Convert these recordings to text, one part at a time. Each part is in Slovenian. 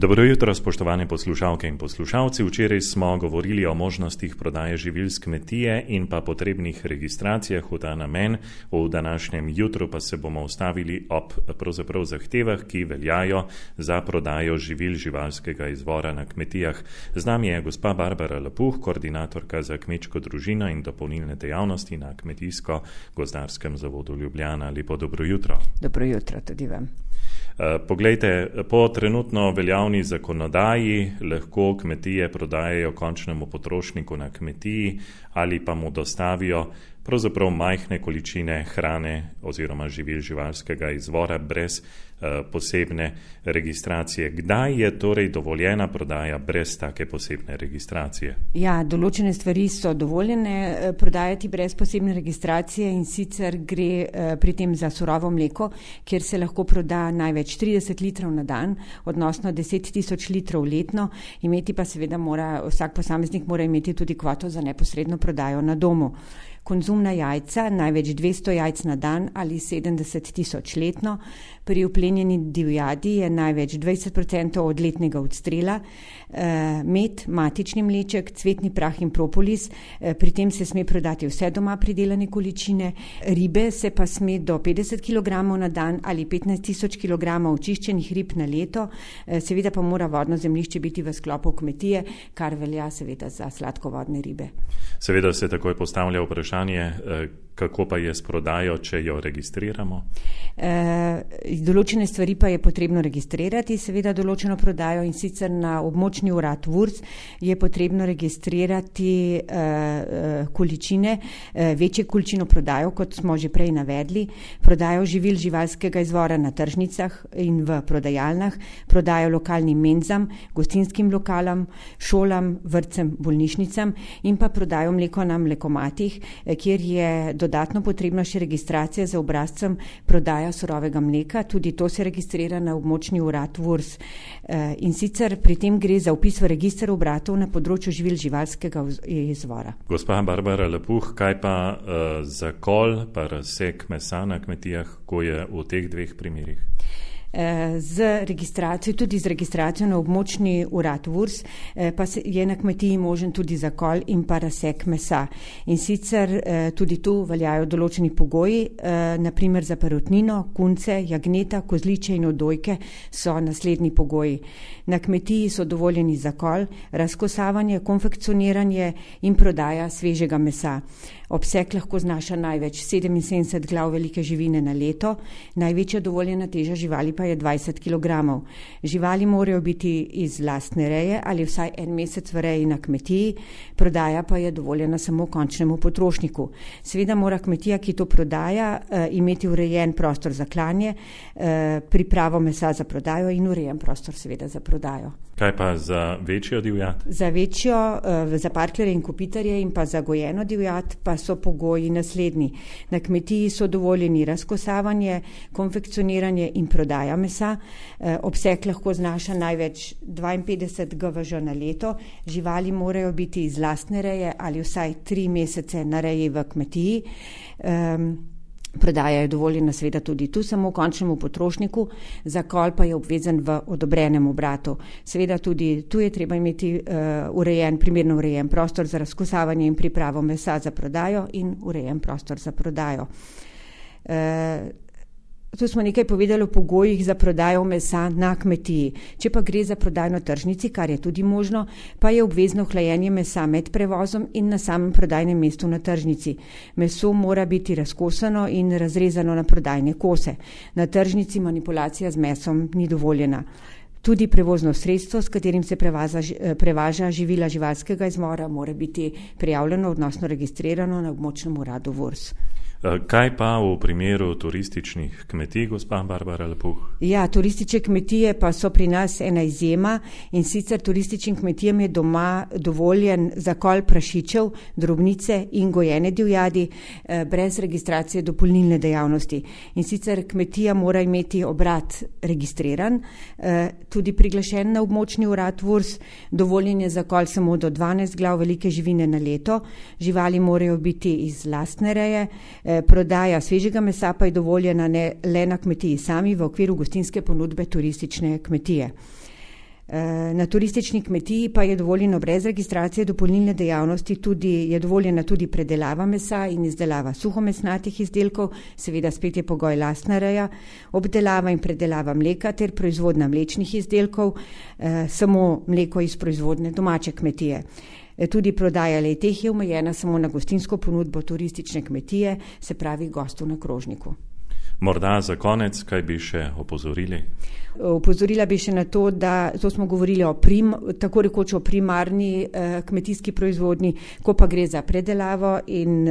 Dobro jutro, spoštovane poslušalke in poslušalci. Včeraj smo govorili o možnostih prodaje živil s kmetije in pa potrebnih registracijah v ta namen. V današnjem jutru pa se bomo ustavili ob pravzaprav zahtevah, ki veljajo za prodajo živil živalskega izvora na kmetijah. Z nami je gospa Barbara Lepuh, koordinatorka za kmečko družino in dopolnilne dejavnosti na Kmetijsko-gozdarskem zavodu Ljubljana. Lepo dobro jutro. Dobro jutro tudi vam. Poglejte, po trenutno veljavni zakonodaji lahko kmetije prodajajo končnemu potrošniku na kmetiji ali pa mu dostavijo pravzaprav majhne količine hrane oziroma živil živalskega izvora brez posebne registracije. Kdaj je torej dovoljena prodaja brez take posebne registracije? Ja, določene stvari so dovoljene prodajati brez posebne registracije, in sicer gre pri tem za surovo mleko, kjer se lahko proda največ 30 litrov na dan, odnosno 10.000 litrov letno, imeti pa seveda vsak posameznik mora imeti tudi kvoto za neposredno prodajo na domu. Konzumna jajca, največ 200 jajc na dan ali 70.000 letno. Pri uplenjeni divjadi je največ 20% od letnega odstrela. Med, matični mleček, cvetni prah in propolis. Pri tem se sme prodati vse doma pridelane količine. Ribe se pa sme do 50 kg na dan ali 15.000 kg očiščenih rib na leto. Seveda pa mora vodno zemljišče biti v sklopu kmetije, kar velja seveda za sladkovodne ribe. Seveda se takoj postavlja vprašanje, kako pa je s prodajo, če jo registriramo? Določene stvari pa je potrebno registrirati, seveda določeno prodajo, in sicer na območni urad VURS je potrebno registrirati količine, večje količino prodajo, kot smo že prej navedli, prodajo živil živalskega izvora na tržnicah in v prodajalnah, prodajo lokalnim menzam, gostinskim lokalom, šolam, vrtcem, bolnišnicam in pa prodajo mleko na mlekomatih, kjer je dodatno potrebna še registracija za obrazcem prodaja surovega mleka. Tudi to se registrira na območni urad VURS. In sicer pri tem gre za vpis v register obratov na področju živil živalskega izvora. Gospa Barbara Lepuh, kaj pa zakol pa razsek mesa na kmetijah, ko je v teh dveh primerih? Z registracijo, tudi z registracijo na območni urad VURS, pa je na kmetiji možen tudi zakol in pa razsek mesa. In sicer tudi tu veljajo določeni pogoji, naprimer za perutnino, kunce, jagneta, kozliče in odojke so naslednji pogoji. Na kmetiji so dovoljeni zakol, razkosavanje, konfekcioniranje in prodaja svežega mesa. Obseg lahko znaša največ 77 glav velike živine na leto, največja dovoljena teža živali pa je 20 kg. Živali morajo biti iz lastne reje ali vsaj en mesec v reji na kmetiji, prodaja pa je dovoljena samo končnemu potrošniku. Seveda mora kmetija, ki to prodaja, imeti urejen prostor za klanje, pripravo mesa za prodajo in urejen prostor seveda za prodajo. Kaj pa za večjo divjad? Za večjo, za parklere in kopitarje in pa za gojeno divjad pa so pogoji naslednji. Na kmetiji so dovoljeni razkosavanje, konfekcioniranje in prodaja mesa. Obseg lahko znaša največ 52 GVŽ na leto. Živali morajo biti iz lastne reje ali vsaj 3 mesece na reji v kmetiji. Prodaja je dovoljena seveda tudi tu samo končnemu potrošniku, zakol pa je obvezen v odobrenem obratu. Seveda tudi tu je treba imeti primerno urejen prostor za razkosavanje in pripravo mesa za prodajo in urejen prostor za prodajo. Tu smo nekaj povedali o pogojih za prodajo mesa na kmetiji. Če pa gre za prodajo na tržnici, kar je tudi možno, pa je obvezno hlajenje mesa med prevozom in na samem prodajnem mestu na tržnici. Meso mora biti razkosano in razrezano na prodajne kose. Na tržnici manipulacija z mesom ni dovoljena. Tudi prevozno sredstvo, s katerim se prevaža živila živalskega izvora, mora biti prijavljeno, odnosno registrirano na območnem uradu VURS. Kaj pa v primeru turističnih kmetij, gospa Barbara Lepuh? Ja, turistične kmetije pa so pri nas ena izjema, in sicer turističnim kmetijam je doma dovoljen zakol prašičev, drobnice in gojene divjadi brez registracije dopolnilne dejavnosti. In sicer kmetija mora imeti obrat registriran, tudi priglašen na območni urad VURS, dovoljen je zakol samo do 12 glav velike živine na leto, živali morajo biti iz lastne reje, prodaja svežega mesa pa je dovoljena le na kmetiji sami v okviru gostinske ponudbe turistične kmetije. Na turistični kmetiji pa je dovoljeno brez registracije dopolnilne dejavnosti je dovoljena tudi predelava mesa in izdelava suhomesnatih izdelkov, seveda spet je pogoj lastna reja, obdelava in predelava mleka ter proizvodnja mlečnih izdelkov, samo mleko iz proizvodne domače kmetije. Tudi prodaja le-teh je omejena samo na gostinsko ponudbo turistične kmetije, se pravi gostov na krožniku. Morda za konec, kaj bi še opozorili? Opozorila bi še na to, da to smo govorili tako rekoč o primarni kmetijski proizvodnji, ko pa gre za predelavo in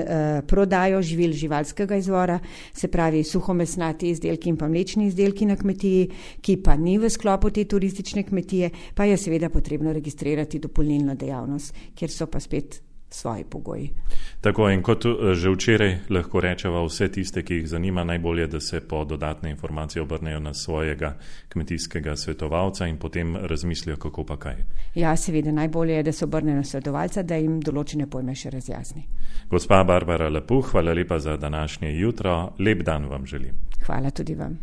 prodajo živil živalskega izvora, se pravi suhomesnati izdelki in pa mlečni izdelki na kmetiji, ki pa ni v sklopu te turistične kmetije, pa je seveda potrebno registrirati dopolnilno dejavnost, kjer so pa spet svoji pogoji. Tako in kot že včeraj lahko rečeva vse tiste, ki jih zanima, najbolje, da se po dodatne informacije obrnejo na svojega kmetijskega svetovalca in potem razmislijo, kako pa kaj. Ja, seveda, najbolje je, da se obrnejo na svetovalca, da jim določene pojme še razjasni. Gospa Barbara Lepuh, hvala lepa za današnje jutro. Lep dan vam želim. Hvala tudi vam.